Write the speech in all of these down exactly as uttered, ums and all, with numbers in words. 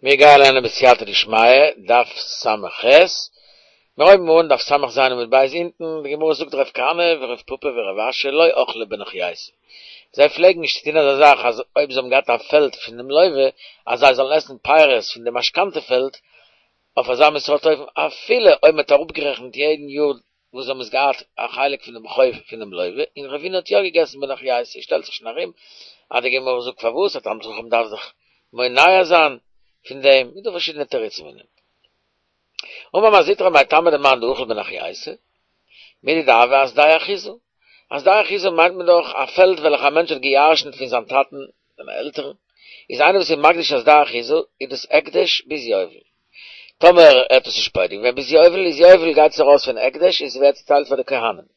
מיר גייען לערנען בסייעתא דשמיא, דף ס"ח, מיר הויבן אן דף ס"ז עמוד ב' אונטן, די גמרא זאגט רב כהנא ורב פפא ורב אשי לא אכלי בנוכרייתא, זיי פלעגן נישט טון אזא זאך אז אויב זיי האבן געהאט א פעלד פון דעם לוה אז זיי זאלן עסן פירות פון די משכנתא פעלד אויף אזא מין סארט אופן אפילו אויב מען האט אראפגערעכנט יעדן יאר וואס זיי האבן עס געהאט א חלק פון דעם חוב פונעם לוה, און רבינא האט יא געגעסן בנוכרייתא, שטעלט זיך שוין ארום אז די גמרא זאגט פארוואס א תלמיד חכם דארף זיך מונע זיין פון דעם, איז דא פארשידענע תירוצים אין דעם. אמר מר זוטרא מאי טעמא דמאן דאכיל בנוכרייתא, מידי דהוה אשדה אחוזה. א שדה אחוזה מיינט מען דאך א פעלד וועלכע א מענטש האט געירשנט פון זיין טאטן, זיינע עלטערן, איז איינער וואס איז מקדיש א שדה אחוזה איז דאס הקדש ביז יובל. טאמער ער האט עס נישט פודה געווען ביז יובל איז יובל גייט עס ארויס פון הקדש און ס'ווערט צוטיילט פאר די כהנים.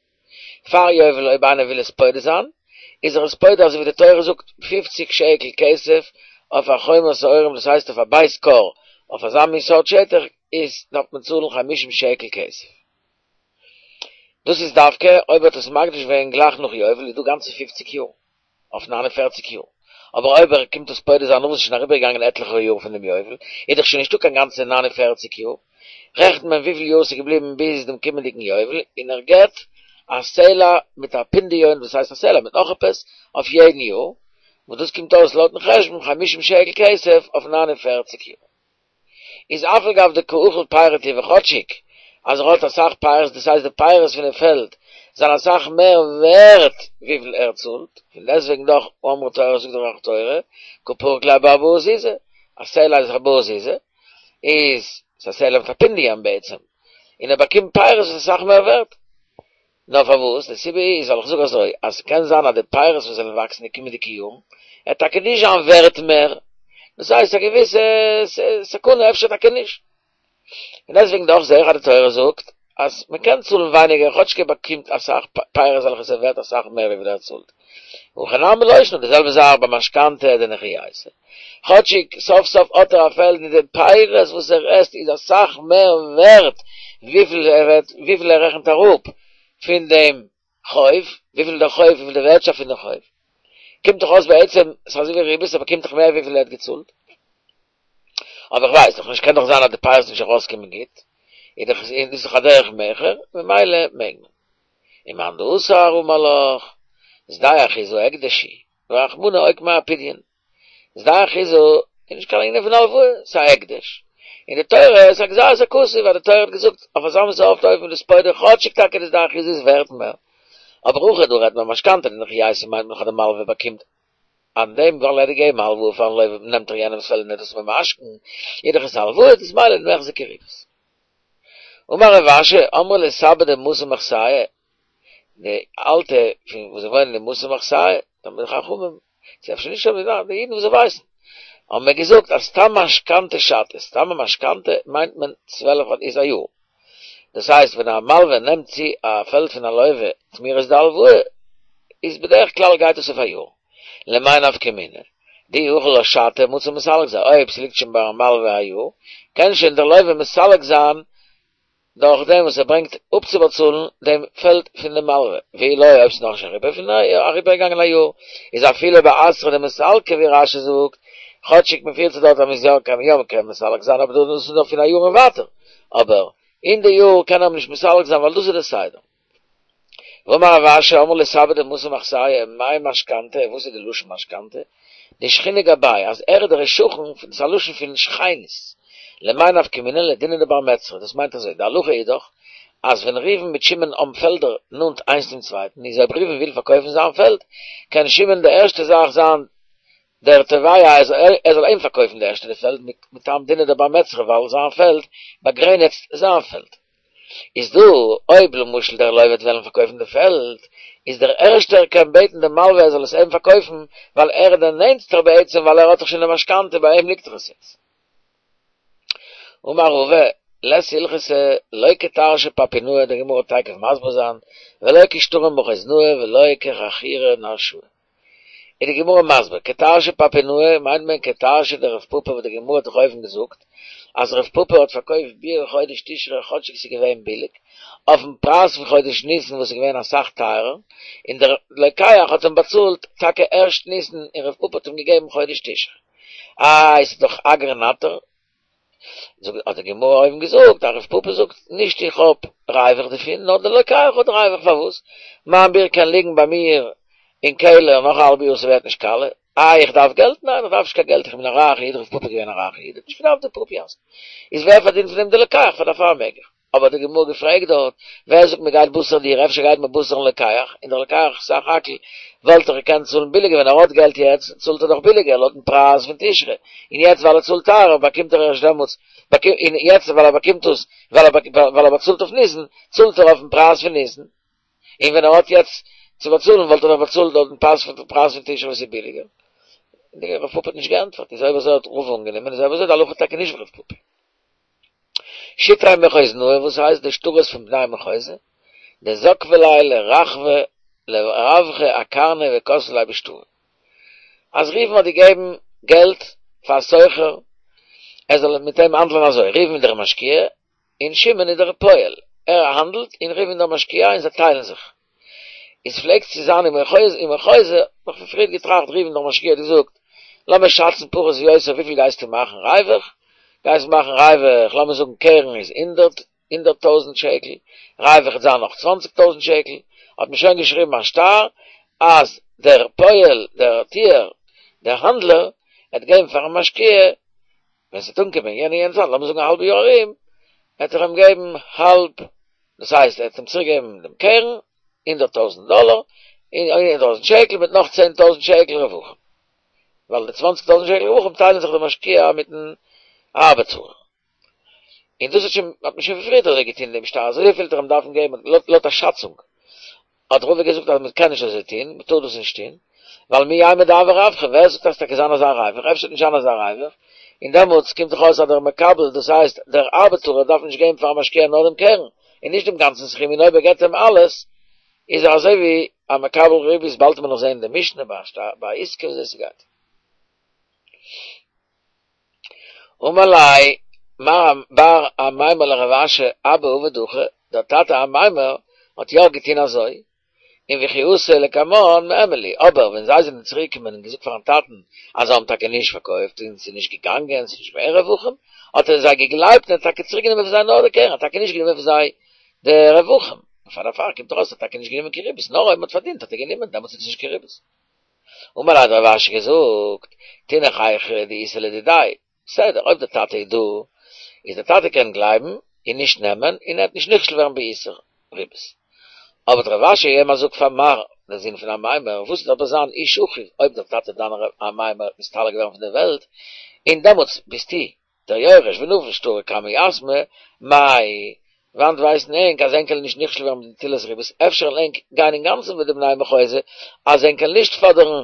פאר יובל אויב איינער וויל עס פודה זיין איז ער עס פודה אזוי ווי די תורה זאגט פֿופֿציק שקל כסף אויף א חומר שעורים דאס הייסט אויף א בית כור אויף אזא מין סארט שטח איז דארף מען צאלן חמישים שקל כסף. דאס איז דווקא אויב ער האט עס מקדיש געווען גלייך נאך יובל איז דא גאנצע פֿופֿציק יאר. אויף נײַן און פֿערציק יאר, אבער אויב ער קומט עס פודה זיין נאך וואס איז שוין אריבערגעגאנגען עטליכע יאר פון דעם יובל, איז דאך שוין נישטא קיין גאנצע נײַן און פֿערציק יאר, רעכנט מען וויפיל יאר ס'איז געבליבן ביז דעם קומענדיגן יובל, און ער געבט א סלע מיט א פונדיון, דאס הייסט א סלע מיט נאך עפעס, אויף יעדן יאר, וואס דאס קומט אויס לויטן חשבון חמישים שקל כסף אויף נײַן און פֿערציק יאר. איז אף על גב דקא אכיל פירי טובא כאטשיג אז ער האט אסאך פירות דאס הייסט די פירות פונעם פעלד זענען אסאך מער ווערט וויפיל ער צאלט, פון דעסטוועגן דאך אמרה תורה זאגט דאך תורה קא פריק ליה בארבעה זוזי, א סלע איז ארבעה זוזי, איז ס'א סלע מיט א פונדיון בעצם, און ער באקומט פירות וואס איז אסאך מער ווערט. נאר פארוואס? די סיבה איז ווייל איך זאג אזוי, אז ס'קען זיין אז די פירות וואס וועלן וואקסן די קומענדיגע יארן, וועט טאקע נישט זיין ווערט מער, דאס הייסט א געוויסע סכנה, אפשר טאקע נישט. און דעסטוועגן דאך זעה איך אז די תורה זאגט אז מען קען צאלן ווייניגער כאטשיג ער באקומט אסאך פירות וועלכע איז ווערט אסאך מער וויפיל ער צאלט. הכא נמי לא שנא, די זעלבע זאך ביי משכנתא דנוכרייתא. כאטשיג סוף סוף האט ער א פעלד און די פירות וואס ער עסט איז אסאך מער ווערט וויפיל ער וועט וויפיל ער רעכנט אראפ פון דעם חוב, וויפיל דער חוב וויפיל די ווערטשאפט פון דעם חוב. קומט דאך אויס בעצם ס'איז אזוי ווי ריבית ער באקומט דאך מער וויפיל ער האט געצאלט. אבער איך ווייס דאך נישט קען דאך זיין אז די פירות נישט ארויסקומען גוט, איז דאך איז דאס דאך א דרך מכר ממילא מעג מען. ומאן דאסר אמר לך, שדה אחוזה הקדש הוא, ורחמנא אוקמיה אפדיון. שדה אחוזה איז נישט קיין ענין פון הלוואה, ס'איז א הקדש. און די תורה איז א גזירת הכתוב ווייל די תורה האט געזאגט אויף אזא מין סארט אופן איז דאס פודה כאטשיג טאקע די שדה אחוזה איז ווערט מער. אבער הכא דא רעדט מען משכנתא דנוכרייתא מיינט מען דאך אז די מלווה באקומט אן דעם ווייל ער האט געגעבן הלוואה פארן לווה נעמט ער יענעמס פעלד און ער איז דאס ממשכן איז דאך עס א הלוואה דאס ממילא ניחזי כריבית. אמר רב אשי אמרי לי סבי דמתא מחסיא די אלטע פון וואס זיי וואוינען אין מתא מחסיא תלמידי חכמים ס'איז אפשר נישט אזוי די אידן וואס זיי ווייסן האבן מיר געזאגט אז סתם משכנתא שתא סתם א משכנתא מיינט מען צוועלף איז א יאר דאס הייסט ווען א מלווה נעמט צו א פעלד פון א לווה תמורת די הלוואה איז בדרך כלל גייט עס אויף א יאר למאי נפקא מינה דאי אכיל לה שתא מצי מסלק זיין אויב ס'ליגט שוין ביים מלווה א יאר קען שוין דער לווה מסלק זיין דורך דעם וואס ער ברענגט אפצובאצאלן דעם פעלד פון דעם מלווה, ואי לא אויב ס'איז נאכנישט אריבער פון אריבערגעגאנגען א יאר, איז אפילו באתרא דמסלקי ווי רש"י זאגט, כאטשיג מ'פירט זיך דארט אז מ'איז יא קען יא מ'קען מסלק זיין אבער דאס איז נאר פון א יאר און ווייטער, אבער אין די יאר קען ער נישט מסלק זיין ווייל דאס איז די סדר. ואמר רב אשי אמרי לי סבי דמתא מחסיא מאי משכנתא, וואס איז די לשון משכנתא? דשכינה גביה, אז ער איז דער שכן, דאס איז א לשון פון שכינות, למאי נפקא מינה לדינא דבר מצרא, דאס מיינט אזוי, די הלכה איז דאך, אז ווען ראובן מיט שמעון האבן פעלדער נאנט איינס צום צווייטן, איז אויב ראובן וויל פארקויפן זיין פעלד, קען שמעון די ערשטע זאך זיין דער תובע אז ער זאל אים פארקויפן די ערשטע די פעלד מטעם דינא דבר מצרא ווייל זיין פעלד באגרעניצט זיין פעלד. איז דא אויב למשל דער לוה וועט וועלן פארקויפן די פעלד, איז דער ערשטער קען בעטן דעם מלווה ער זאל עס אים פארקויפן, ווייל ער איז דער נענטסטער בעצם ווייל ער האט דאך שוין די משכנתא ביי אים ליגט דאך עס יעצט. אמר רבא, לית הלכתא לא כתרשא פפונאי, די גמרא וועט תיכף מסביר זיין, ולא כשטרא מחוזנאה ולא כחכירא נרשאה. איז די גמרא מסביר, כתרשא פפונאי מיינט מען כתרשא דרב פפא וואס די גמרא האט דאך אויבן געזאגט אז רב פפא האט פארקויפט ביער חודש תשרי כאטשיג ס'איז געווען ביליג, אויפן פרייז פון חודש ניסן וואס איז געווען אסאך טייערער, און דער לוקח האט אים באצאלט טאקע ערשט ניסן און רב פפא האט אים געגעבן חודש תשרי. איי ס'איז דאך אגרא נטר, זאגט האט די גמרא אויבן געזאגט, אז רב פפא זאגט, נישט איך האב ריווח דערפון, נאר דער לוקח האט ריווח, פארוואס? מיין ביר קען ליגן ביי מיר אין קעלער נאך א האלב יאר ס'ווערט נישט קאלע, איי איך דארף געלט? ניין איך דארף נישט קיין געלט איך בין א רייכע איד, רב פפא איז געווען א רייכע איד, האט נישט געדארפט די פראפיאסק, איז ווער פארדינט פון דעם די לוקח פאר דערפאר מעג איך. אבער האט די גמרא געפרעגט דארט, ווער זאגט מען גייט בתר דיר, אפשר גייט מען בתר'ן לוקח, און דער לוקח סך הכל וואלט ער געקענט צאלן ביליגער ווען ער האט געלט יעצט צאלט ער דאך ביליגער לויטן פרייז פון תשרי, און יעצט ווייל ער צאלט טייערער באקומט ער ערשט דעמאלטס, און יעצט ווייל ער באקומט עס ווייל ער באצאלט אויף ניסן, צאלט ער אויפן פרייז פון ניסן, און ווען ער האט יעצט צו באצאלן וואלט ער דאך באצאלט לויטן פרייז פון תשרי וואס איז ביליגער. און רב פפא האט נישט געענטפערט, איז אויב אזוי האט רבא אנגענומען, איז אויב אזוי די הלכה טאקע נישט ווי רב פפא. שטרי מחוזנאה, וואס הייסט די שטרות פון בני מחוזא, דזקבי ליה לרחבא לרווחא אקרנא וכתבי ליה בשטרא. אז ראובן האט געגעבן געלט פאר א סוחר ער זאל מיט אים האנדלען אזוי, ראובן איז דער משקיע און שמעון איז דער פועל, ער האנדלט און ראובן איז דער משקיע און זיי טיילן זיך. איז פלעגט צו זיין אין מחוזא, אין מחוזא, האב איך פון פריערט געטראכט ראובן דער משקיע האט געזאגט, לאמיר שאצן פחות ויותר וויפיל גייסטו מאכן ריווח, גייסט מאכן ריווח, לאמיר זאגן קרן איז הונדערט, הונדערט טויזנט שקל, ריווח וועט זיין נאך צוואנציג טויזנט שקל, האט מען שוין געשריבן א שטר אז דער פועל, דער טוער, דער האנדלער, וועט געבן פארן משקיע, ווען ס'וועט אנקומען יענע יענע צייט, לאמיר זאגן א האלבע יאר ארום, וועט ער אים געבן האלב, דאס הייסט ער וועט אים צוריק געבן דעם קרן, הונדערט טויזנט דאלער, הונדערט טויזנט שקל מיט נאך צען טויזנט שקל רווחים. ווייל די צוואנציג טויזנט שקל רווחים טיילן זיך די משקיע מיטן ארבעטספארער. און דאס האט שוין האט מען שוין פון פריערט אזוי געטון דעם שטר, אזוי וויפיל וועט ער אים דארפן געבן לויט לויט א שאצונג. האט רבא געזאגט אז מען קען נישט אזוי טון, מען טאר דאס נישט טון, ווייל מי יימר דהוי רווחא, ווער זאגט אז ס'טאקע זיין אזא ריווח, אפשר וועט נישט זיין אזא ריווח, און דעמאלטס קומט דאך אויס אז דער מקבל, דאס הייסט דער ארבעטארער דארף נישט געבן פארן משקיע נאר דעם קרן, און נישט דעם גאנצן סכום, און אויב ער געבט אים אלעס, איז ער אזוי ווי א מקבל ריבית, באלד וועט מען נאך זען די משנה ביי עסקה וויאזוי ס'גייט. אמר ליה מר בר אמימר לרב אשי אבא עביד הכי, דער טאטע אמימר האט יא געטון אזוי, און וכי אתו לקמן מהימן להו, אבער ווען זיי זענען צוריק געקומען און געזאגט פארן טאטן אז זיי האבן טאקע נישט פארקויפט און ס'איז נישט געגאנגען, ס'איז נישט געווען רווחים, האט ער זיי געגלייבט און האט טאקע צוריק גענומען פון זיי נאר די קרן, האט טאקע נישט גענומען פון זיי די רווחים, און פאר דערפאר קומט ארויס ער האט טאקע נישט גענומען קיין ריבית, נאר אויב מ'האט פארדינט האט ער גענומען, דעמאלטס איז עס נישט קיין ריבית. אמר ליה האט רב אשי געזאגט, תינח היכא דאיתא לדידיה, בסדר, אויב דער טאטע איז דא, איז דער טאטע קען גלייבן און נישט נעמען, און ער וועט נישט נכשל ווערן באיסור ריבית. אבער האט רב אשי געגעבן א זאג פאר מר, דער זון פון אמימר, וואס וועט אבער זיין איש אחיו, אויב דער טאטע דיינער אמימר וועט נסתלק ווערן פון דער וועלט, און דעמאלטס ביסטו דער יורש ונפיל שטרא קמי יתמי, מאי, וואנעט ווייסן ענק אז ענק וועלן נישט נכשל ווערן מיט נטילת ריבית, אפשר וועלן ענק גיין אינגאנצן מיט די בני מחוזא אז ענק וועלן נישט פאדערן,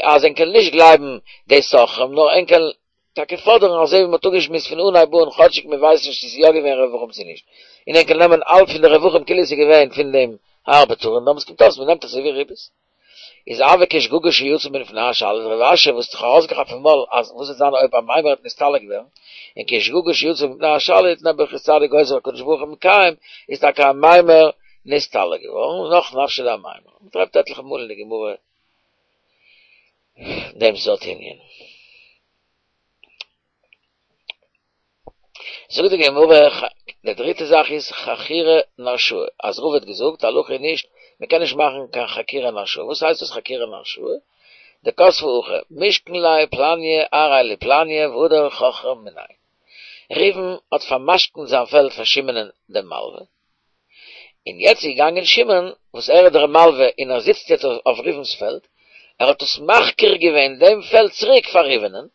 אז ענק וועלן נישט גלייבן די סוחרים, נאר ענק וועלן טאקע פאדערן אזוי ווי מ'האט אפגעשמועסט פון אנהייב אן, כאטשיג מ'ווייסט נישט צו ס'איז יא געווען רווחים צו נישט, און ענק וועלן נעמען האלב פון די רווחים כאילו ס'איז געווען פון דעם ארבעטאר, און דעמאלטס קומט אויס מ'נעמט אזוי ווי ריבית. איז הוה כשגגה שיצא מלפני השליט, רב אשי וואס האט זיך ארויסגעכאפט פון מויל אז וואס וועט זיין אויב אמימר וועט נסתלק ווערן, און כשגגה שיצא מלפני השליט נעבעך איז צדיק גוזר הקדוש ברוך הוא מקיים, איז טאקע אמימר נסתלק געווארן, נח נפשיה דאמימר. מען טרעפט עטליכע מאל אין די גמרא דעם סארט ענין. זאגט די גמרא, די דריטע זאך איז חכירה נרשאה, אז רבא האט געזאגט הלכה איז נישט, מען קען נישט מאכן קיין חכירה נרשאה, וואס הייסט דאס חכירה נרשאה? דכתבי הכי, משכן ליה פלניא ארעיה לפלניא והדר חכרה מיניה. ראובן האט פאר'משכנ'ט זיין פעלד פאר שמעונ'ען דעם מלווה, און יעצט איז געגאנגען שמעון וואס ער איז דער מלווה און ער זיצט יעצט אויף ראובן'ס פעלד, ער האט עס מחכיר געווען דעם פעלד צוריק פאר ראובן'ען,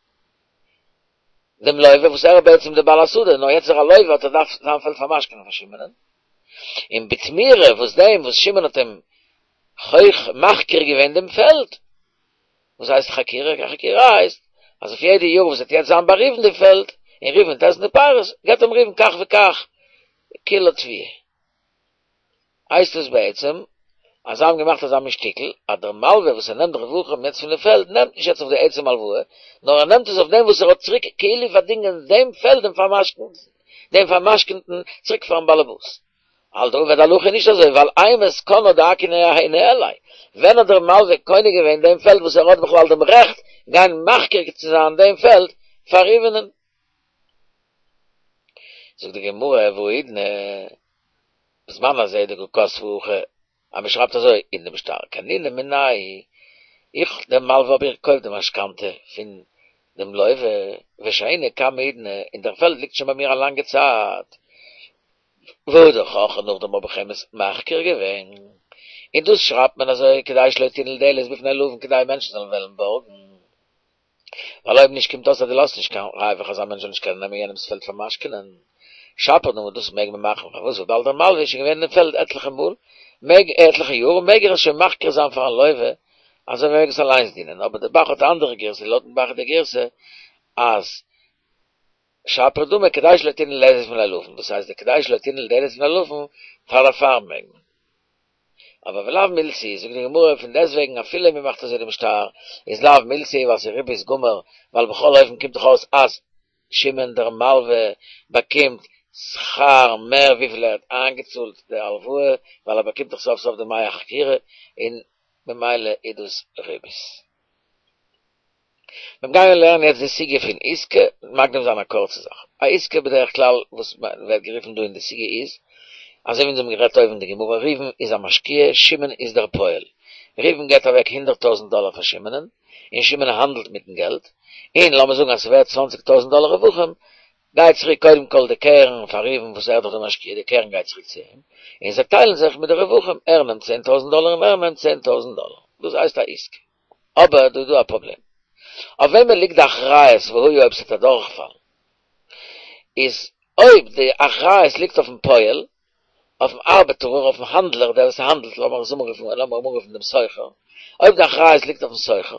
דעם לוה וואס ער איז בעצם דער בעל השדה, נאר יעצט איז ער א לוה האט ער דארף זיין פעלד פאר'משכנ'ען פאר שמעונ'ען, און בתמורה וואס דעם וואס שמעון האט אים חוכ מחכיר געווען דעם פעלד, וואס הייסט חכירה? חכירה הייסט אז אויף יעדע יאר וואס וועט יעצט זיין ביי ראובן די פעלד, און ראובן וועט עסן די פירות, געבט אים ראובן כך וכך קילא תבואה. הייסט עס בעצם אז זיי האבן געמאכט אזא מין שטיקל אז דער מלווה וואס ער נעמט רווחים יעצט פון די פעלד נעמט נישט יעצט אויף די עצם הלוואה נאר ער נעמט עס אויף דעם וואס ער האט צוריק כאילו פארדינגען דעם פעלד דעם פארמשכנ'ט דעם פארמשכנ'טן צוריק פארן באלעבאס. האלט רבא די הלכה איז נישט אזוי ווייל אימת קנה דאכי ניהליה ווען האט דער מלווה קונה געווען דעם פעלד וואס ער האט בכלל דעם רעכט גיין מחכיר צו זיין דעם פעלד פאר ראובנ'ן? זאגט די גמרא, והאידנא, בזמן הזה דקא כתבי הכי, אז מען שרייבט אזוי אין דעם שטר, קנינא מיניה, איך דער מלווה האב איך געקויפט די משכנתא פון דעם לווה, ושהיינא קמאי האידנא, און דער פעלד ליגט שוין ביי מיר א לאנגע צייט, והדר חכריה נאכדעם האב איך אים עס מחכיר געווען, און דאס שרייבט מען אזוי כדי שלא תנעול דלת בפני לווין כדי מענטשן זאלן וועלן בארגן, ווייל אויב נישט קומט אויס אז דו לאזט נישט קיין ריווח אז א מענטש זאל נישט קענען נעמען יענעמ'ס פעלד פאר משכנ'ען. שפיר דמי דאס מעג מען מאכן, פארוואס וויבאלד דער מלווה איז שוין געווען אין דעם פעלד עטליכע מאל, מעג עטליכע יאר, מעג ער עס שוין מחכיר זיין פארן לווה, אז ער מעג עס אליינס דינען, אבער דער ב"ח האט א אנדערע גירסא, לויטן ב"ח איז די גירסא אז שפיר דמי כדי שלא תנעול דלת בפני לווין, דאס הייסט די כדי שלא תנעול דלת בפני לווין פאר דערפאר מעג מען. אבער ולאו מילתא היא, זאגט די גמרא, פון דעסטוועגן אפילו מען מאכט אזוי דעם שטר, איז לאו מילתא היא ווייל ס'איז ריבית גמור, ווייל בכל אופן קומט דאך אויס אז שמעון דער מלווה באקומט שכר מער וויפיל ער האט איינגעצאלט די הלוואה, ווייל ער באקומט דאך סוף סוף די דמי החכירה, און ממילא איז דאס ריבית. מיר גייען לערנען יעצט די סוגיא פון עיסקא, מקדים זיין א קורצע זאך. א עיסקא בדרך כלל וואס ווערט גערופן דא אין די סוגיא איז, אזוי ווי אונז האבן גערעדט אויבן אין די גמרא, ראובן איז א משקיע, שמעון איז דער פועל. ראובן געבט אוועק הונדערט טויזנט דאלער פאר שמעונ'ען, און שמעון האנדלט מיטן געלט, און לאמיר זאגן אז ס'ווערט צוואנציג טויזנט דאלער רווחים, גייט צוריק קודם כל די קרן פאר ראובן וואס ער איז דאך דער משקיע, די קרן גייט צוריק צו אים, און זיי טיילן זיך מיט די רווחים, ער נעמט צען טויזנט דאלער און ער נעמט צען טויזנט דאלער. דאס הייסט א עיסקא. אבער דא איז דא א פראבלעם. אויף וועמען ליגט די אחריות והיה אויב ס'וועט אדורכפאלן? איז אויב די אחריות ליגט אויפן פועל, אויפן ארבעטארער, אויפן האנדלער, דער וואס האנדלט, לאמיר עס אנרופן, לאמיר אנרופן דעם סוחר, אויב די אחריות ליגט אויפן סוחר,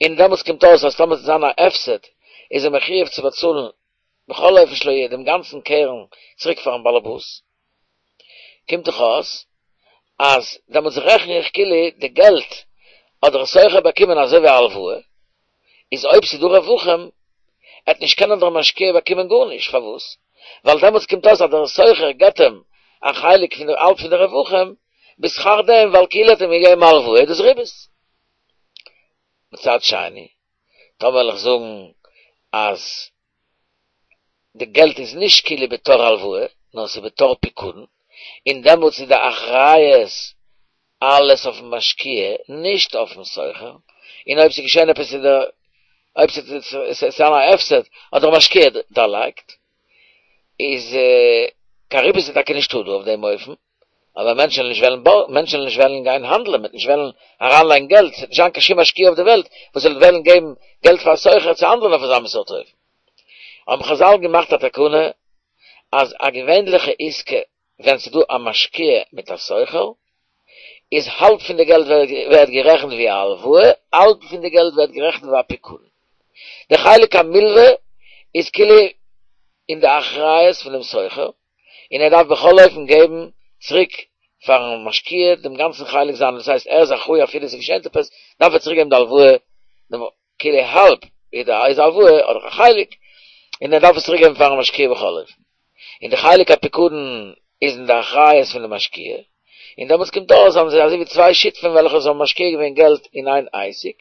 און דעמאלטס קומט אויס אז טאמער ס'וועט זיין א הפסד, איז ער מחויב צו באצאלן בכל אופן שלא יהיה דעם גאנצן קרן צוריק פארן באלעבאס, קומט דאך אויס אז דעמאלטס רעכן איך כאילו די געלט האט דער סוחר באקומען אזוי ווי א הלוואה, איז אויב ס'איז דא רווחים עט נישט קענען דער משקיע באקומען גארנישט, פארוואס? ווייל דעמאלטס קומט אויס אז דער סוחר געבט אים א חלק פון די האלב פון די רווחים בשכר דעם ווייל כאילו האט אים געגעבן א הלוואה איז דאס ריבית. מצד שני, טאמער וועל איך זאגן אז די געלט איז נישט כאילו בתור הלוואה, נאר ס'איז בתור פיקדון, און דעמאלטס איז די אחריות אלעס אויפן משקיע, נישט אויפן סוחר, און אויב ס'איז געשען עפעס איז דער, אויב ס'איז זיין א הפסד, האט דער משקיע דערלייגט, איז קיין ריבית איז טאקע נישטא דא אויף דעם אופן, אבער מענטשן וועלן נישט וועלן בארגן, מענטשן וועלן נישט וועלן גיין האנדלען, מ'וועט נישט וועלן אריינלייגן געלט, ס'וועט נישט זיין קיין שום משקיע אויף די וועלט וואס זאל וועלן געבן געלט פאר א סוחר צו האנדלען אויף אזא מין סארט אופן. האבן חזל געמאכט א תקנה אז א געווענליכע עסקה ווען ס'איז דא א משקיע מיט א סוחר, איז האלב פון די געלט ווערט גערעכנט ווי א הלוואה, האלב פון די געלט ווערט גערעכנט ווי א פיקדון. די חלק המלווה איז כאילו אין די אחריות פונעם סוחר, און ער דארף בכל אופן געבן צוריק פארן משקיע דעם גאנצן חלק זיינעם, דאס הייסט ער איז אחראי אפילו עס איז געשען עפעס, דארף ער צוריק געבן די הלוואה, דעם כאילו האלב איז די איז הלוואה אדער א חלק, און ער דארף עס צוריק געבן פארן משקיע בכל אופן. און די חלק הפיקדון איז אין די אחריות פון די משקיע, און דעמאלטס קומט אויס אז אזוי ווי צוויי שותפים וועלכע זיי האבן משקיע געווען געלט אין איין עסק,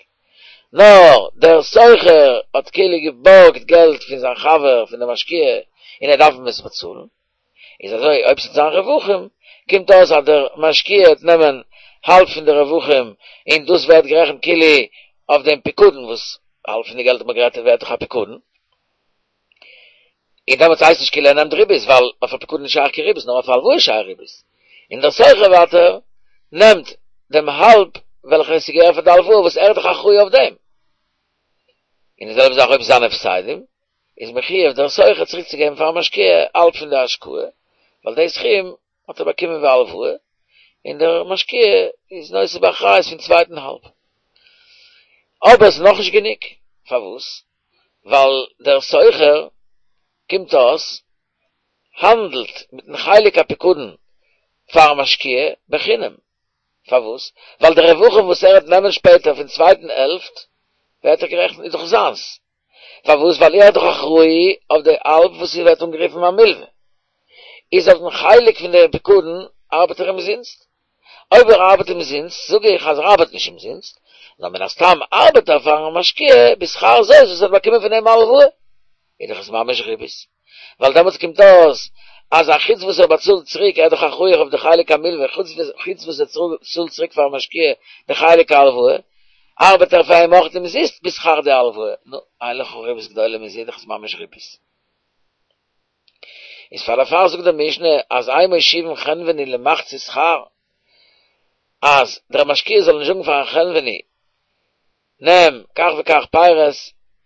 נאר דער סוחר האט כאילו געבארגט געלט פון זיין חבר פון די משקיע און ער דארף אים עס באצאלן, איז אזוי אויב ס'וועט זיין רווחים קומט אויס אז דער משקיע וועט נעמען האלב פון די רווחים און דאס ווערט גערעכנט כאילו אויף דעם פיקדון וואס האלב פון די געלט האט מען גערעדט ווערט דאך א פיקדון. און דעמאלטס הייסט נישט כאילו ער נעמט ריבית, ווייל אויף א פיקדון איז נישט שייך קיין ריבית, נאר אויף א הלוואה איז שייך ריבית. און דער סוחר ווייטער נעמט דעם האלב וועלכע עס איז געווען פאר די הלוואה וואס ער איז דאך אחראי אויף דעם. און די זעלבע זאך אויב ס'זיין הפסדים, איז מחויב דער סוחר צוריק צו געבן פארן משקיע האלב פון די השקעה, ווייל די סכום האט ער באקומען ווי א הלוואה, און דער משקיע איז נושא באחריות פון צווייטן האלב. אבער עס איז נאכנישט גענוג. פארוואס? ווייל דער סוחר קומט אויס האנדלט מיטן חלק הפיקדון פארן משקיע בחינם, פארוואס? ווייל די רווחים וואס ער וועט נעמען שפעטער פון צווייטן העלפט ווערט דאך גערעכנט איז דאך זיינס, פארוואס? ווייל ער איז דאך אחראי אויף די האלב וואס ווערט אנגערופן א מלווה, איז אויף דעם חלק פון די פיקדון ארבעט ער אומזינסט, אויב ער ארבעט אומזינסט, זאג איך אז ער ארבעט נישט אומזינסט, נאר מן הסתם ארבעט ער פארן משקיע בשכר זאת וואס ער האט באקומען פון אים א הלוואה, איז דאך עס ממש ריבית. ווייל דעמאלטס קומט אויס אז א חוץ וואס ער באצאלט צוריק, ער איז דאך אחראי אויף די חלק המלווה, חוץ וואס ער צאלט צוריק פארן משקיע די חלק ההלוואה, ארבעט ער פאר אים אויך אומזיסט בשכר די הלוואה. נו, אין לך ריבית גדולה מזה, דאך איז ממש ריבית. איז פאר דערפאר זאגט די משנה אז אין מושיבין חנווני למחצית שכר, אז דער משקיע זאל נישט זאגן פארן חנווני, נעם כך וכך פירות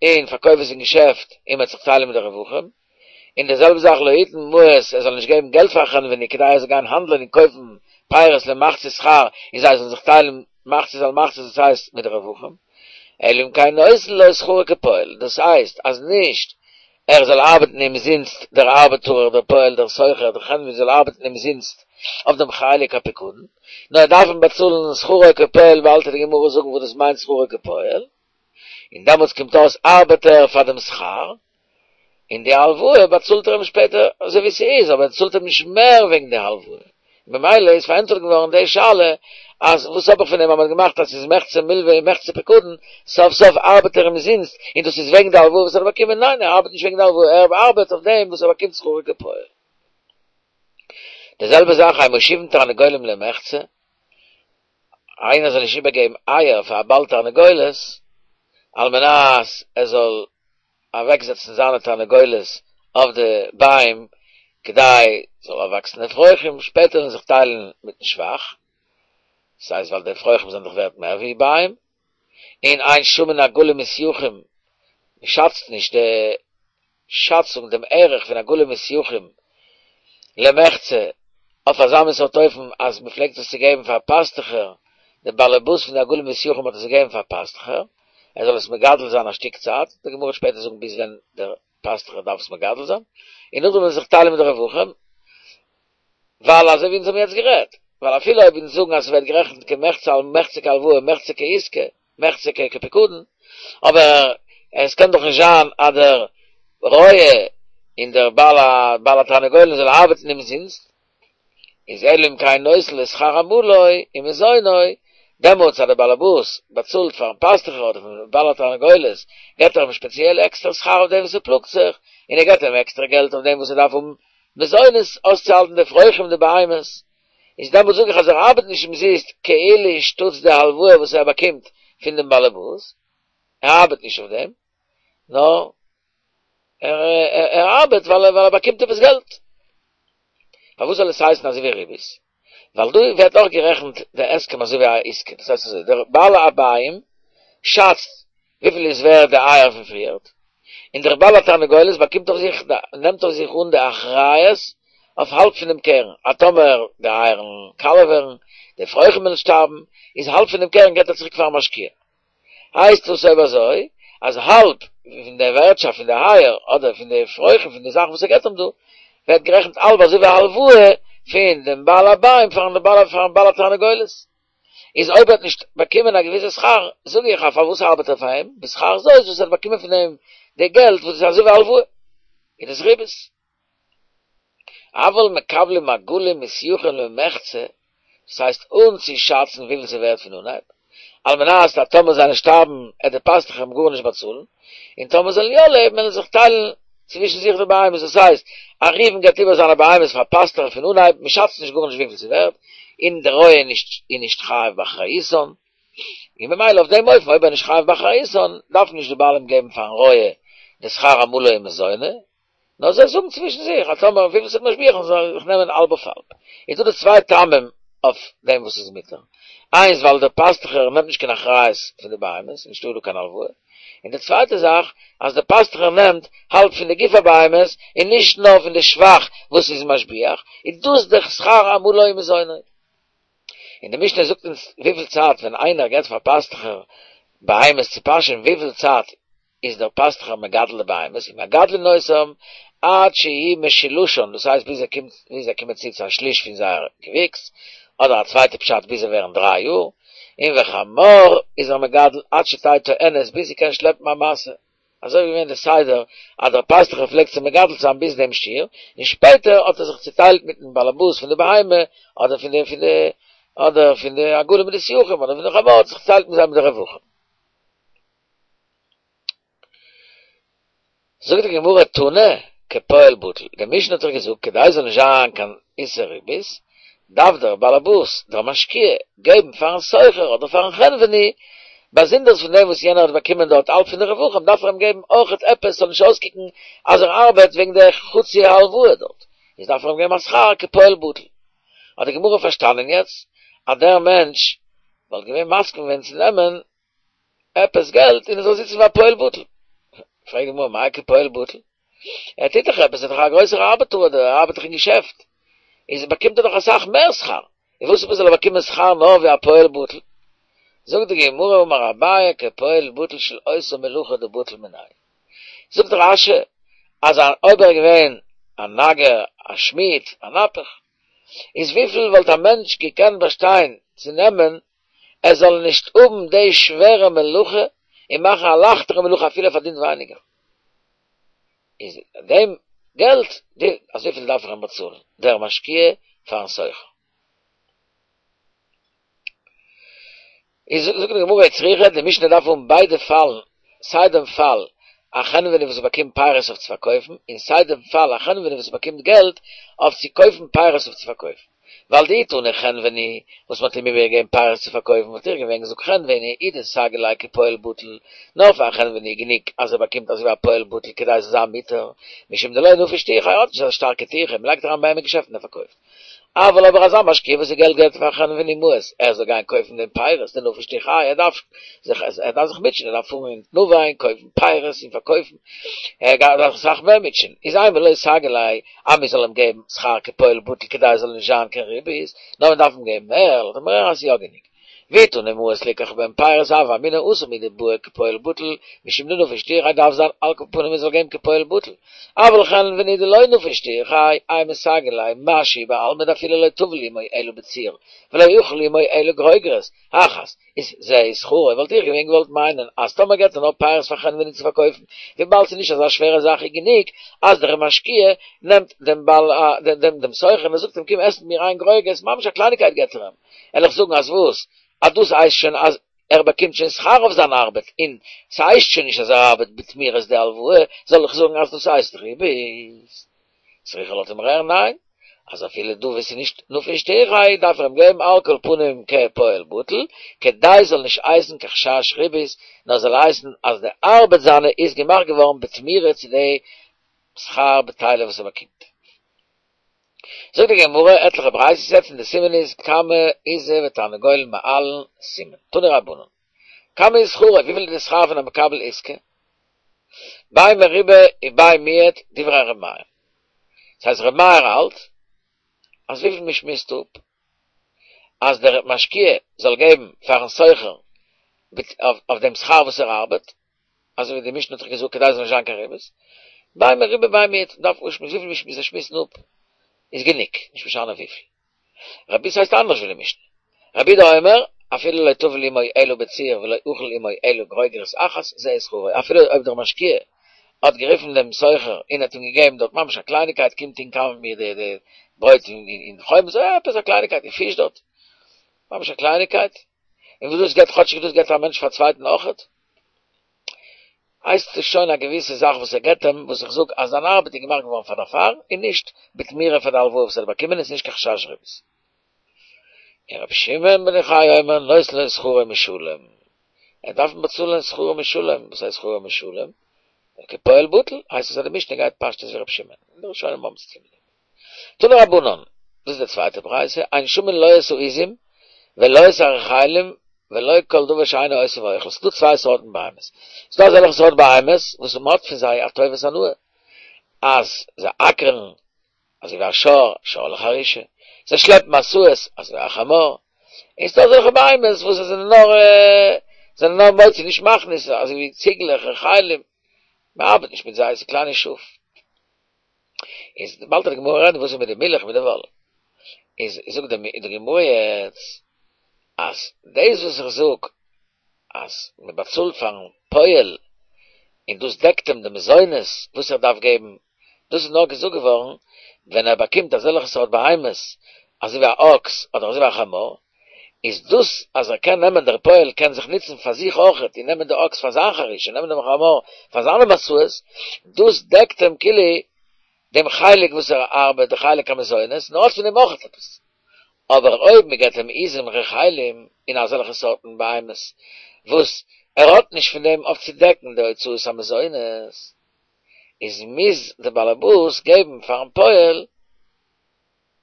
און פארקויף עס אין געשעפט און מ'וועט זיך טיילן מיט די רווחים, און די זעלבע זאך לא יתן מעות, ער זאל נישט געבן געלט פאר חנווני כדי ער זאל גיין האנדלען און קויפן פירות למחצית שכר און זיי זאלן זיך טיילן מחצית על מחצית דאס הייסט מיט די רווחים, אלא אם כן נותן לו שכרו כפועל, דאס הייסט אז נישט ער זאל ארבעטן אומזינסט, דער ארבעטארער, דער פועל, דער סוחר, דער חנווני זאל ארבעטן אומזינסט אויף דעם חלק הפיקדון, נאר ער דארף אים באצאלן שכרו כפועל, באלד וועט די גמרא זאגן וואס דאס מיינט שכרו כפועל, און דעמאלטס קומט אויס ארבעט ער פאר דעם שכר, און די הלוואה באצאלט ער אים שפעטער אזוי ווי ס'איז, אבער ער צאלט אים נישט מער וועגן די הלוואה. ממילא איז פארענטפערט געווארן די שאלה, אז וואס האב איך פון דעם אז מ'האט געמאכט אז ס'איז מחצה מלווה און מחצה פיקדון, סוף סוף ארבעט ער אומזינסט, און דאס איז וועגן די הלוואה וואס ער האט באקומען, ניין ער ארבעט נישט וועגן די הלוואה, ער ארבעט אויף דעם וואס ער באקומט שכרו כפועל. די זעלבע זאך אין מושיבין תרנגולים למחצה, איינער זאל נישט איבערגעבן אייער פאר א בעל תרנגולת, על מנת ער זאל אוועקזעצן זיינע תרנגולת אויף די ביים כדי זאל אויפוואקסן אפרוחים, שפעטער וועלן זיך טיילן מיטן שבח, ס'הייסט ווייל די אפרוחים זענען דאך ווערט מער ווי ביים, און אין שמין עגלים ושיחים, מ'שאצט נישט די שאצונג דעם ערך פון עגלים ושיחים למחצה אויף אזא מין סארט אופן אז מען פלעגט עס צו געבן פאר פאסטוכער, דער באלעבאס פון די עגלים ושיחים האט עס געגעבן פאר פאסטוכער ער זאל עס מגדל זיין א שטיק צייט, די גמרא וועט שפעטער זאגן ביז ווען דער פאסטוכער דארף עס מגדל זיין, און נאכדעם וועלן זיי זיך טיילן מיט די רווחים, ווייל אזוי ווי אונז האבן יעצט גערעדט, ווייל אפילו אויב אונז זאגן אז ס'ווערט גערעכנט כמחצה על מחצה כהלוואה מחצה כעסקה, מחצה כפיקדון, אבער עס קען דאך נישט זיין אז דער רועה און דער בעל התרנגולין זאל ארבעטן אומזינסט, איז אלא אם כן נותן לו שכר עמלו ומזונו, דעמאלטס אז דער באלעבאס באצאלט פארן פאסטוכער אדער פארן בעל התרנגולת, געבט ער אים שפעציעל עקסטער שכר אויף דעם וואס ער פלאגט זיך, און ער געבט אים עקסטערע געלט אויף דעם וואס ער דארף האבן מזונות אויסצוהאלטן די אפרוחים די בהמות, איז דעמאלטס זאג איך אז ער ארבעט נישט אומזיסט כאילו שטאטס די הלוואה וואס ער באקומט פון דעם באלעבאס, ער ארבעט נישט אויף דעם, נאר ער ארבעט ווייל ער באקומט עפעס געלט. פארוואס זאל עס הייסן אזוי ווי ריבית? ווייל דא ווערט אויך גערעכנט די הסכם אזוי ווי א עסקה, דאס הייסט אזוי, דער בעל הבית שאצט וויפיל איז ווערד די אייער פון פריערט, און דער בעל התרנגולת באקומט אויף זיך, נעמט אויף זיך אן די אחריות אויף האלב פון דעם קרן, אז טאמער די אייער וועלן קאלע ווערן, די אפרוחים וועלן שטארבן, איז האלב פון דעם קרן געבט ער צוריק פארן משקיע. הייסט דאס אויב אזוי, אז האלב פון די ווערטשאפט פון די אייער, אדער פון די אפרוחים פון די זאכן וואס ער געבט אים דא, ווערט גערעכנט האלב אזוי ווי א הלוואה פון דעם בעל הבית פארן בעל בעל התרנגולת. איז אויב ער האט נישט באקומען א געוויסע שכר, זאג איך אז פארוואס ארבעט ער פאר אים, בשכר זאת וואס ער האט באקומען פון אים די געלט וואס איז אזוי ווי א הלוואה, איז דאס ריבית. אבל מקבלים עגלים ושיחים למחצה, דאס הייסט אן צו שאצן וויפיל ס'ווערט פון אנהייב, על מנת אז טאמער זיי וועלן שטארבן עט דער פאסטוך אים גארנישט באצאלן, און טאמער זאלן יא לעבן וועלן זיך טיילן צווישן זיך די בהמות, דאס הייסט א ראובן געבט איבער זיינע בהמות פאר פאסטוך פון אנהייב, מען שאצט נישט גארנישט וויפיל ס'ווערט, און דער רועה איז נישט איז נישט חייב באחריותן, און ממילא אויף דעם אופן אויב ער איז נישט חייב באחריותן דארף נישט די בעלים געבן פארן רועה די שכר עמלו ומזונו, נאר זיי זאגן צווישן זיך אז טאמער וויפיל ס'וועט משביח'ן זאל זיך נעמען האלב אויף האלב. איז דא די צוויי טעמים אויף דעם וואס איז מותר. איינס ווייל דער פאסטוכער נעמט נישט קיין אחריות פון די בהמות, נישטא דא קיין הלוואה. און די צווייטע זאך אז דער פאסטוכער נעמט האלב פון די גוף הבהמות און נישט נאר פון די שבח וואס איז משביח, איז דאס דער שכר עמלו ומזונו. און די משנה זאגט אונז וויפיל צייט ווען איינער געבט פאר פאסטוכער בהמות צו פאשען וויפיל צייט איז דער פאסטוכער מגדל די בהמות, ומגדלין אותם עד שיהא משולשן, דאס הייסט ביז ער קומט ביז זיי קומען צו צו א שליש פון זייער געוויקס, אדער א צווייטע פשט ביז זיי ווערן דריי יאר, און וחמור איז ער מגדל עד שתהא טוענת ביז זי קען שלעפן א משא, אזוי איז געווען די סדר אז דער פאסטוכער פלעגט צו מגדל זיין ביז דעם שיעור, און שפעטער האט ער זיך צוטיילט מיטן באלעבאס פון די בהמה, אדער פון די פון די אדער פון די עגלים מיט די שיחים, אדער פון די חמור האט זיך צוטיילט מיט זיי מיט די רווחים. זאגט די גמרא תנא, כפועל בטל. די משנה האט דאך געזאגט כדי ס'זאל נישט זיין קיין איסור ריבית, דארף דער באלעבאס, דער משקיע, געבן פארן סוחר אדער פארן חנווני, באזונדערס פון דעם וואס יענער האט באקומען דארט האלב פון די רווחים, דארף ער אים געבן אויכעט עפעס ס'זאל נישט אויסקוקן אז ער ארבעט וועגן די חצי הלוואה דארט, איז דארף ער אים געבן א שכר כפועל בטל. האט די גמרא פארשטאנען יעצט אז דער מענטש וואלט געווען מסכים ווען צו נעמען עפעס געלט און ער זאל זיצן ווי א פועל בטל. פרעגט די גמרא מאי כפועל בטל? ער טוט דאך עפעס, ער איז דאך א גרויסער ארבעטער אדער ער ארבעט דאך אין געשעפט, איז באקומט ער דאך אסאך מער שכר, און וואס עפעס זאל ער באקומען שכר נאר ווי א פועל בטל? זאגט די גמרא אמר אביי כפועל בטל של עושה מלאכה דבטל מיניה. זאגט רש"י אז אויב ער איז געווען א נגר, א שמיד, א נפח, איז וויפיל וואלט א מענטש געקענט באשטיין צו נעמען ער זאל נישט האבן די שווערע מלאכה און מאכן א לייכטערע מלאכה אפילו ער פארדינט ווייניגער. איז דעם געלט, די אזויפיל דארף ער אים באצאלן, דער משקיע פארן סוחר. איז זאגט די גמרא צריכא, די משנה דארף האבן ביידע פאלן, סיי דעם פאל א חנווני וואס באקומט פירות אויף צו פארקויפן, און סיי דעם פאל א חנווני וואס באקומט געלט אויף צו קויפן פירות אויף צו פארקויפן. ווייל דאי תנא חנווני וואס מ'האט אים איבערגעגעבן פירות צו פארקויפן וואלט איך געווען געזאגט חנווני הוא דסגי ליה כפועל בטל, נאר פאר א חנווני איז גענוג אז ער באקומט אזוי ווי א פועל בטל כדי ס'זאל זיין מותר, משום דלא נפיש טירחא ער האט נישט אזא שטארקע טירחא, מ'לייגט אריין ביי אים אין געשעפט און ער פארקויפט. אבל אבער אזא משקיע וואס ס'געלט געבט פאר חנווני מעות ער זאל גיין קויפן דעם פירות דנפיש טירחיה ער דארף זיך ער דארף זיך מוטשען ער דארף פארן אין תנובה און קויפן פירות און פארקויפן ער דארף זיך אסאך מער מוטשען איז אימא לא סגי ליה אז מען זאל אים געבן שכר כפועל בטל כדי עס זאל נישט זיין קיין ריבית נאר מען דארף אים געבן מער לאזט מען אז ס'איז יא גענוג. ואי תנא מעות ליקח בהן פירות הוה אמינא התם הוא דבעי כפועל בטל משום דנפיש טירחיה דארף זיין על כל פנים מען זאל געבן כפועל בטל אבל חנווני דלא נפיש טירחיה אימא סגי ליה משהו בעלמא דאפילו לא טביל עמו אלא בציר ולא אכל עמו אלא גרוגרות אחת איז זה שכרו וואלט איך געווען געוואלט מיינען אז טאמער געבט ער נאר פירות פאר חנווני צו פארקויפן וויבאלד ס'איז נישט אזא שווערע זאך איז גענוג אז דער משקיע נעמט דעם בעל דעם דעם סוחר און ער זאגט אים קום עס מיט מיר איין גרוגרת ממש א קלייניקייט געבט ער אים וועל איך זאגן אז וואס? אז דאס הייסט שוין אז ער באקומט שוין שכר אויף זיין ארבעט, און ס'הייסט שוין נישט אז ער ארבעט בתמורת די הלוואה, זאל איך זאגן אז דאס הייסט ריבית? צריכא לויט דעם רער ניין, אז אפילו דא וואו ס'איז נישט נפיש טירחיה דארף ער אים געבן על כל פנים כפועל בטל, כדי ס'זאל נישט הייסן קיין חשש ריבית, נאר זאל הייסן אז די ארבעט זיינע איז געמאכט געווארן בתמורה צו די שכר בטלה וואס ער באקומט. זאגט די גמרא עטליכע ברייתות יעצט און די סימן איז כמה עיזה ותרנגול מעלין סימן, תנו רבנן, כמה איז שכרו, וויפיל איז די שכר פון א מקבל עסקה? בי מרובה ובי מועט דברי ר' מאיר, דאס הייסט ר' מאיר האלט אז וויפיל מען שמועסט אפ אז דער משקיע זאל געבן פארן סוחר אויף דעם שכר וואס ער ארבעט, אזוי ווי די משנה האט דאך געזאגט כדי עס זאל נישט זיין קיין ריבית, בי מרובה בי מועט, דארף אויסשמועסן וויפיל זיי שמועסן אפ איז גענוג, נישט משנה וויפיל. רבי ס'הייסט אנדערש ווי די משנה. רבי יהודה אומר, אפילו לא טבל עמו אלא בציר ולא אכל עמו אלא גרוגרת אחת, זה שכרו, אפילו אויב דער משקיע האט גערופן דעם סוחר און האט אים געגעבן דארט ממש א קלייניקייט, קום טונק מיט מיר די די ברויט אין חומץ, עפעס א קלייניקייט, און פיש דארט, ממש א קלייניקייט, און וואס דאס געבט כאטשיג דאס געבט א מענטש פאר צווייטן אויכעט. הייסט עס שוין א געוויסע זאך וואס ער געבט אים, וואס איך זאג אז זיין ארבעט איז געמאכט געווארן פאר דערפאר, און נישט בתמורה פאר די הלוואה וואס ער האט באקומען, און ס'איז נישט קיין חשש ריבית. און רבי שמעון בן יוחאי אומר נותן לו שכרו משולם, ער דארף אים באצאלען שכרו משולם, וואס הייסט שכרו משולם? כפועל בטל, הייסט עס אז די משנה גייט פשטות ווי רבי שמעון, און די ראשונים האבן צו טון מיט דעם. תנו רבנן, דאס איז די צווייטע ברייתא, אין שמין לא את העזים ולא את הרחלים ולא כל דבר שאינו עושה ואוכל, ס'איז דא צוויי סארטן בהמות, ס'איז דא אזעלכע סארט בהמות וואס מ'האט פון זיי א טובת הנאה, אז זיי אקערן אזוי ווי א שור, שור לחרישה, זיי שלעפן משאות אזוי ווי א חמור, און ס'איז דא אזעלכע בהמות וואס זיי זענען נאר זענען נאר מוציא נישט מכניס, אזוי ווי ציגלעך, רחלים, מ'ארבעט נישט מיט זיי, ס'איז קליינע שאף. איז באלד וועט די גמרא רעדן וואס איז מיט די מילך מיט די וואל, איז זאגט די גמרא יעצט אז דאס וואס איך זאג אז מען באצאלט פארן פועל און דאס דעקט אים די מזונות וואס ער דארף געבן, דאס איז נאר געזאגט געווארן ווען ער באקומט אזעלכע סארט בהמות אזוי ווי א אקס אדער אזוי ווי א חמור, איז דאס אז ער קען נעמען דער פועל קען זיך נוצן פאר זיך אויכעט און נעמען די אקס פאר זיין חרישה און נעמען דעם חמור פאר זיינע משאות, דאס דעקט אים כאילו דעם חלק וואס ער ארבעט, די חלק המזונות, נאר האט פון דעם אויך עפעס. אבער אויב מען געבט אים עזים רחלים און אזעלכע סארטן בהמות וואס ער האט נישט פון דעם אויף צו דעקן די הוצאות המזונות, איז מוז דער באלעבאס געבן פארן פועל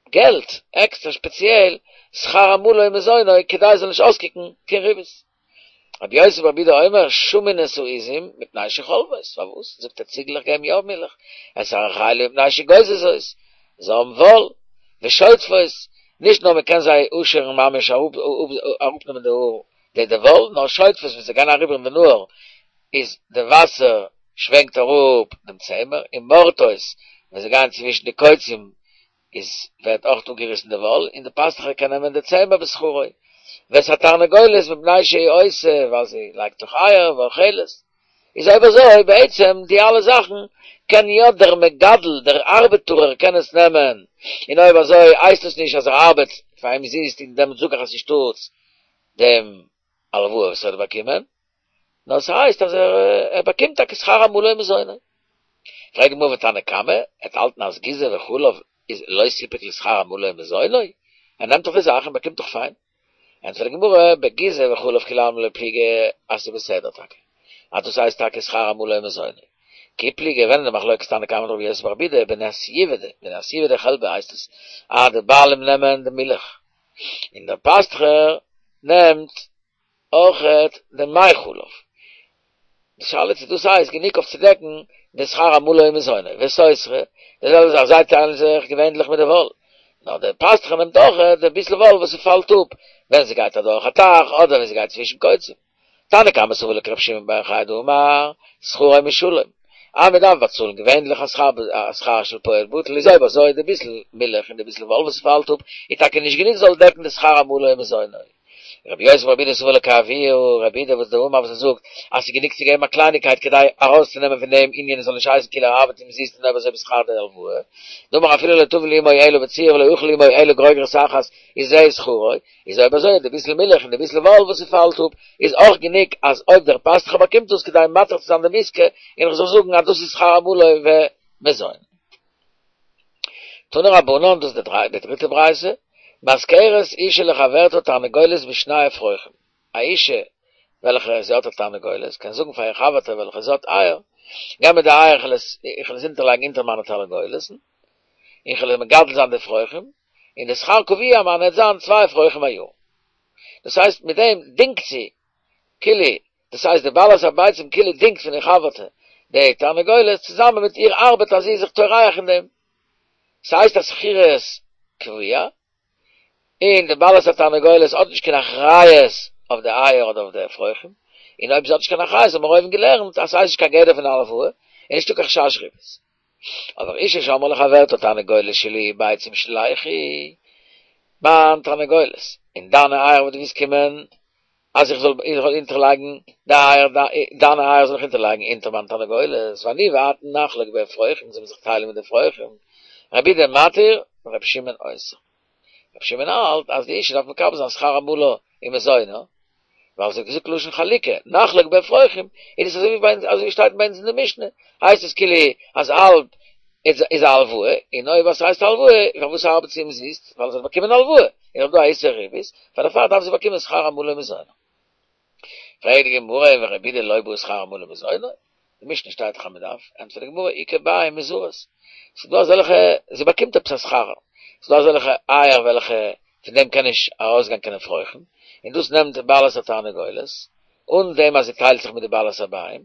געלט עקסטער שפעציעל שכר עמלו ומזונו כדי עס זאל נישט אויסקוקן קיין ריבית. רבי יוסי ברבי יהודה אומר שמין את העזים מפני שחולבות, פארוואס זאגט ער ציגלעך געבן יא מילך, את הרחלים מפני שגוזזות, זיי האבן וואל, ושוטפות, נישט נאר מען קען זיי אפשערן ממש אראפנעמען די האר די די וואל, נאר שוטפות ווען זיי גייען אריבער אין די נהר איז די וואסער שווענקט אראפ דעם צמר, און מורטות ווען זיי גייען צווישן די קוצים איז ווערט אויך אפגעריסן די וואל, און די פאסטוכער קען נעמען די צמר בשכרו. ואת התרנגולת מפני שהיא עושה, ווייל זי לייגט דאך אייער ואוכלת. איז אויב אזוי בעצם די אלע זאכן קען יא דער מגדל, דער ארבעטארער קען עס נעמען, און אויב אזוי הייסט עס נישט אז ער ארבעט פאר אומזיסט און דעמאלט זאג איך אז אנשטאטס דעם הלוואה וואס ער האט באקומען, נאר ס'הייסט אז ער באקומט טאקע שכר עמלו ומזונו. פרעגט די גמרא ותנא קמא, ער וועט האלטן אז גיזה וחלב איז לא סיפק לשכר עמלו ומזונו? ער נעמט דאך די זאך און באקומט דאך פיין. ענטפערט די גמרא, בגיזה וחלב כולי עלמא לא פליגי אז ס'איז בסדר טאקע, אז דאס הייסט טאקע שכר עמלו ומזונו. כי פליגי ווען איז די מחלוקת תנא קמא מיט רבי יוסי ברבי יהודה בנסיבי בנסיבי דחלבא הייסט עס אז די בעלים נעמען די מילך און דער פאסטכער נעמט אויכעט די מי חלב. די שאלה צו דאס הייסט גענוג אויף צו דעקן די שכר עמלו ומזונו, וסותרי, די זעלבע זאך זיי טיילן זיך געווענדליך מיט די וואל, נאר דער פאסטוכער נעמט אויכעט די ביסל וואל וואס ס'פאלט אפ ווען ס'גייט אדורך א טייך אדער ווען ס'גייט צווישן קוצים. תנא קמא סבר לה כרבי שמעון בר יוחאי דאמר שכרו משולם, אז מען דארף באצאלן געווענדליך א שכר א שכר של פועל בטל איז אויב אזוי די ביסל מילך און די ביסל וואל וואס ס'פאלט אפ איז טאקע נישט גענוג זאל דעקן די שכר עמלו ומזונו. רבי יוסי ברבי יהודה סבר לה כאבוה רבי יהודה וואס דאמר וואס ער זאגט אז ס'איז גענוג צו געבן א קלייניקייט כדי ארויסצונעמען פון דעם ענין עס זאל נישט הייסן כאילו ער ארבעט אומזיסט און אויב אזוי בשכר די הלוואה דאמר אפילו לא טבל עמו אלא בציר ולא אכל עמו אלא גרוגרת אחת איז זה שכרו איז אויב אזוי די ביסל מילך און די ביסל וואל וואס ס'פאלט אפ איז אויך גענוג אז אויב דער פאסטוכער באקומט דאס כדי מתיר צו זיין דעם עסקה און איך זאל זאגן אז דאס איז שכר עמלו ומזונו. תנו רבנן, דאס איז די דריטע ברייתא, משכרת אשה לחברתה תרנגולת בשני אפרוחים, א אישה וועלכע זי האט א תרנגולת קען זאגן פאר איר חבר'טע וועלכע זי האט אייער, געב מיר די אייער איך וועל עס איך וועל עס אונטערלייגן אונטער מיינע תרנגולת'ן, און איך וועל מגדל זיין די אפרוחים, און די שכר קבוע מיינע וועט זיין צוויי אפרוחים א יאר. דאס הייסט מיט דעם דינגט זי כאילו, דאס הייסט די בעלת הביצים כאילו דינגט פון איר חבר'טע די תרנגולת צוזאמען מיט איר ארבעט אז זי איז זיך טורח אין דעם. ס'הייסט א שכירות קבוע, און די בעלת התרנגולת האט נישט קיין אחריות אויף די אייער אדער אויף די אפרוחים, און אויב זי האט נישט קיין אחריות האבן מיר אויבן געלערנט אז ס'הייסט נישט קיין גדר פון הלוואה, און נישטא קיין חשש ריבית. אבער אישה שאמרה לחברתה תרנגולת שלי ביצים שליכי, מיין תרנגולת, און דיינע אייער וואס דו ווילסט קומען אז איך זאל איך זאל אונטערלייגן די אייער, דיינע אייער זאל איך אונטערלייגן אונטער מיין תרנגולת, ואני ואת נחלוק באפרוחים, זאל מען זיך טיילן מיט די אפרוחים, רבי יהודה מתיר, רבי שמעון אוסר. רבי שמעון האלט אז די אישה דארף מקבל זיין שכר עמלה ומזונה, ווייל זי האט געזאגט לשון חלוקה, נחלוק באפרוחים, איז עס אזוי ווי ביי אונז, אזוי ווי שטייט ביי אונז אין די משנה, הייסט עס כאילו אז האלב איז איז א הלוואה, און אויב עס הייסט הלוואה, פארוואס ארבעט זי אומזיסט? ווייל זי האט באקומען הלוואה, און אויב דא א איסור ריבית, פאר דערפאר דארף זי באקומען שכר עמלה ומזונו. פרעגט די גמרא, ורבי יהודה לא בעי שכר עמלה ומזונו? די משנה שטייט דאך אז מען דארף, ענטפערט די גמרא, איכא ביעי מוזרות, ס'איז דא אזעלכע, זי באקומט עפעס א שכר, ס'איז דא אזעלכע אייער וועלכע פון דעם קען נישט ארויסגיין קיין אפרוחים, און דאס נעמט די בעלת התרנגולת, אן דעם אז זי טיילט זיך מיט די בעלת הביעים,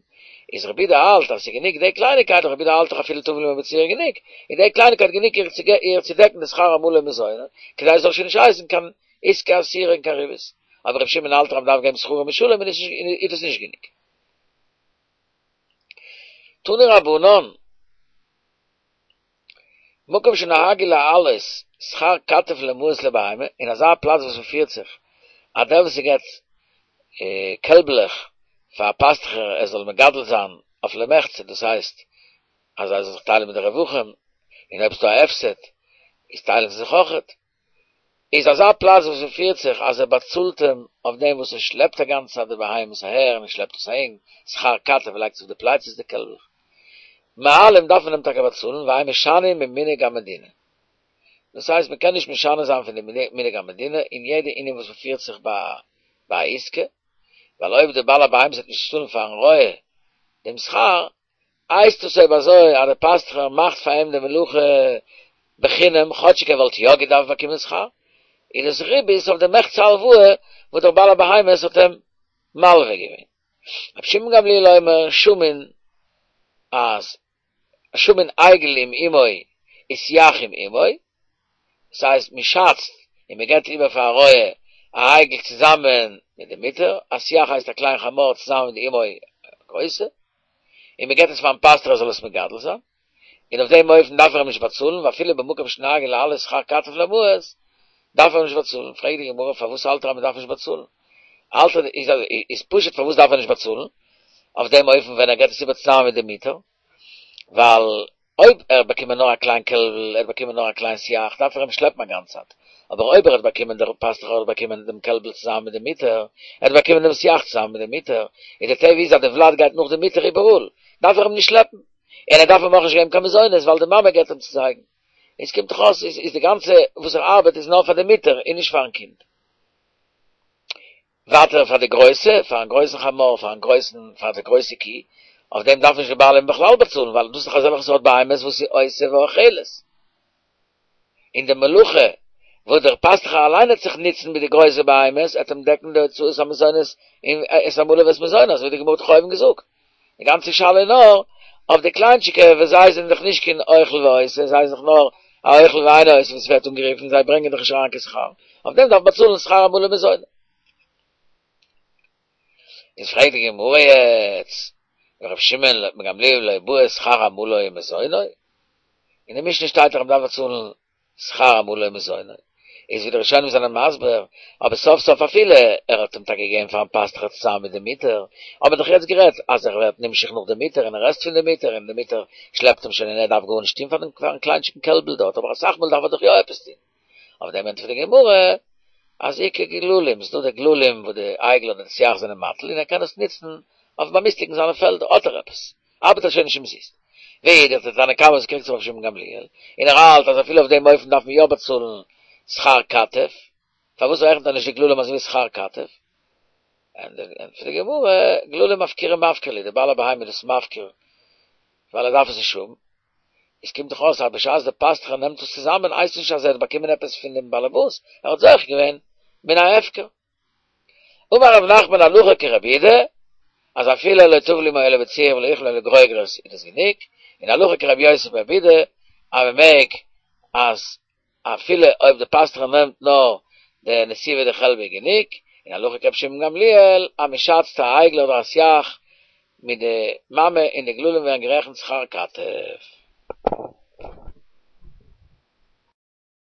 איז רבי יהודה האלט אז ס'איז גענוג די קלייניקייט, רבי יהודה האלט דאך אפילו טבל עמה בציר גענוג, איז די קלייניקייט גענוג איר צו דעקן די שכר עמלה ומזונו, כדי עס זאל שוין נישט הייסן קיין עסקה אסורה און קיין ריבית. אבער רבי שמעון האלט דאך אז מ'דארף געבן שכרו משולם און איז דאס נישט גענוג. תנו רבנן. מקום שנהגו להעלות שכר כתף למעות לבהמה, אין אזא פלאץ וואס מ'פירט זיך אז דער וואס ס'געט קעלבלעך פאר פאסטוכער ער זאל מגדל זיין אויף למחצה, דאס הייסט אז זיי זאלן זיך טיילן מיט די רווחים, און אויב ס'דא א הפסד איז טיילן זיי זיך אויכעט. איז אזא פלאץ וואס מ'פירט זיך אז ער באצאלט אים אויף דעם וואס ער שלעפט א גאנצע צייט די בהמות אהער און ער שלעפט עס אהין, שכר כתף ער לייגט זיך אויף די פלייצעס די קעלבלעך. מעלים דארף מען אים טאקע באצאלן, ואין משנים ממנהג המדינה. דאס הייסט מען קען נישט משנה זיין פון די מנהג המדינה אין יעדע ענין וואס מ'פירט זיך ביי ביי א עסקה, ווייל אויב דער בעל הבהמות וועט נישט צאלן פארן רועה דעם שכר, הייסט עס אויב אזוי אז דער פאסטוכער מאכט פאר אים די מלאכה בחינם כאטשיג ער וואלט יא געדארפט באקומען שכר, איז דאס ריבית אויף די מחצה הלוואה וואס דער בעל הבהמות האט אים מלווה געווען. רבי שמעון גמליאל אומר שמין אז שמין עגל עם אמו וסייח עם אמו, דאס הייסט מען שאצט און מען געבט איבער פאר א רועה א עגל צוזאמען מיט די מוטער, א סייח הייסט א קליין חמור צוזאמען מיט די אמו א גרויסע, און מען געבט עס פארן פאסטער ער זאל עס מגדל זיין, און אויף דעם אופן דארף ער אים נישט באצאלן, ואפילו במקום שנוהגין להעלות שכר כתף למעות, דארף ער אים נישט באצאלן, פרעגט די גמרא פארוואס האלט ער אז מען דארף נישט באצאלן? האלט ער איז איז פשוט פארוואס דארף ער נישט באצאלן אויף דעם אופן ווען ער געבט עס איבער צוזאמען מיט די מוטער? ווייל אויב ער האט באקומען נאר א קליין קעלבל, ער האט באקומען נאר א קליין סייח, דארף ער אים שלעפן א גאנצע צייט. אבער אויב ער האט באקומען, דער פאסטוך האט באקומען דעם קעלבל צוזאמען מיט די מוטער, ער האט באקומען דעם סייח צוזאמען מיט די מוטער, איז די טבע איז אז די ולד גייט נאך די מוטער איבעראל, דארף ער אים נישט שלעפן. און ער דארף אים אויך נישט געבן קיין מזונות, ווייל די מאמע געבט אים צו זייגן. איז קומט דאך אויס איז די גאנצע וואס ער ארבעט איז נאר פאר די מוטער און נישט פארן קינד. ווייטער פאר די גרויסע, פארן גרויסן חמור, פארן גרויסן, פאר די גרויסע קי, אויף דעם דארף נישט די בעלים בכלל באצאלן, ווייל דאס איז דאך אזעלכע סארט בהמות וואס איז עושה ואוכלת. און די מלאכה וואס דער פאסטוכער אליין העט זיך נוצן מיט די גרויסע בהמות, העט אים דעקן די הוצאות המזונות און את עמלו ואת מזונו, אזוי ווי די גמרא האט דאך אויבן געזאגט. די גאנצע שאלה איז נאר אויף די קליינטשיקע וואס זיי זענען דאך נישט קיין אוכל ועושה, זיי זענען דאך נאר א אוכל ואינו עושה ווי ס'ווערט אנגערופן, זיי ברענגען דאך נישט אריין קיין שכר, אויף דעם דארף מען באצאלן שכר עמלו ומזונו. איז פרעגט די גמרא יעצט, ור' שמעון גמליאל לא בעי שכר עמלו ומזונו? אין די משנה שטייט דאך אז מ'דארף באצאלן שכר עמלו ומזונו, איז ווי די ראשונים זענען מסביר, אבער סוף סוף אפילו ער האט אים טאקע געגעבן פארן פאסטוך צוזאמען מיט די מוטער, האט מען דאך יעצט גערעדט אז ער ווערט נמשך נאך די מוטער און ער עסט פון די מוטער און די מוטער שלעפט אים שוין און ער דארף גארנישט טון פארן פארן קליינטשיגן קעלבל דארט, אבער אסאך מאל דארף ער דאך יא עפעס טון. אויף דעם ענטפערט די גמרא אז איכא גללים, ס'דא די גללים וואס די עגל אדער די סייח זענען מטיל און ער קען עס נוצן אויף באמיסטיגן זיינע פעלדער, האט ער עפעס, ארבעט ער שוין נישט אומזיסט. ואידך דער תנא קמא וואס קריגט זיך אויף שמעון גמליאל, און ער האלט אז אפילו אויף דעם אופן דארף מען יא באצאלן שכר כתף, פארוואס רעכנט ער נישט די גללים אזוי ווי שכר כתף? ענטפערט די גמרא, גללים אפקורי מפקר להו, דער בעל הבהמה איז דאס מפקיר ווייל ער דארף עס נישט האבן, עס קומט דאך אויס אז בשעת דער פאסטוכער נעמט עס צוזאמען הייסט נישט אז ער האט באקומען עפעס פון דעם באלעבאס, ער האט זוכה געווען מן ההפקר. אמר רב נחמן הלכה כרבי יהודה, אז אפילו לא טבל עמו אלא בציר ולא אוכלין אלא גרוגרות איז דאס גענוג, און הלכה כרבי יוסי ברבי יהודה, אז מען מעג אז אפילו אויב די פאסטוכער נעמט נאר די נסיבי דחלבא גענוג, און הלכה כרבי שמעון גמליאל, אז מען שאצט א עגל אדער א סייח מיט די מאמע און די גללים ווערן גערעכנט שכר כתף.